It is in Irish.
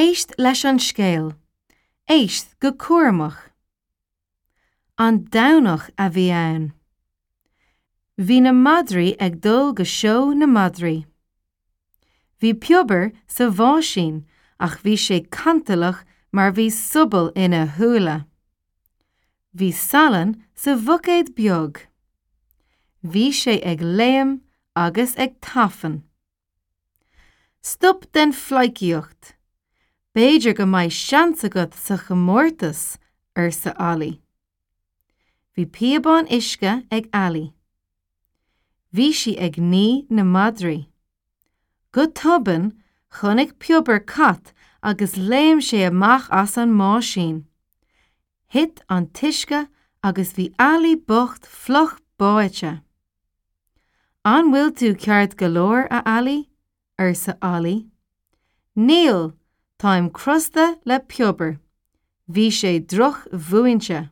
Éist leis an scéal. Éist go cúramach. An Domhnach a bhí ann. Bhí na madraí ag dul go seó na madraí. Bhí Piobar sa bháisín ach bhí sé cantalach mar bhí sobal ina shúile. Bhí salann sa bhuicéad beag. Bhí sé ag léim agus ag tafann. Stop den phleidhcíocht! B'fhéidir go mbeidh seans agat sa chomórtas, arsa Ollie. Bhí píobán uisce ag Ally. Bhí sí ag ní na madraí. Go tobann, chonaic Piobar cat agus léim sé amach as an mbáisín. Thit an t-uisce agus bhí Ally bocht fliuch báite. An bhfuil tú ceart go leor, a Ally? arsa Ollie. Níl, táim crosta le Piobar. Bhí sé drochmhúinte.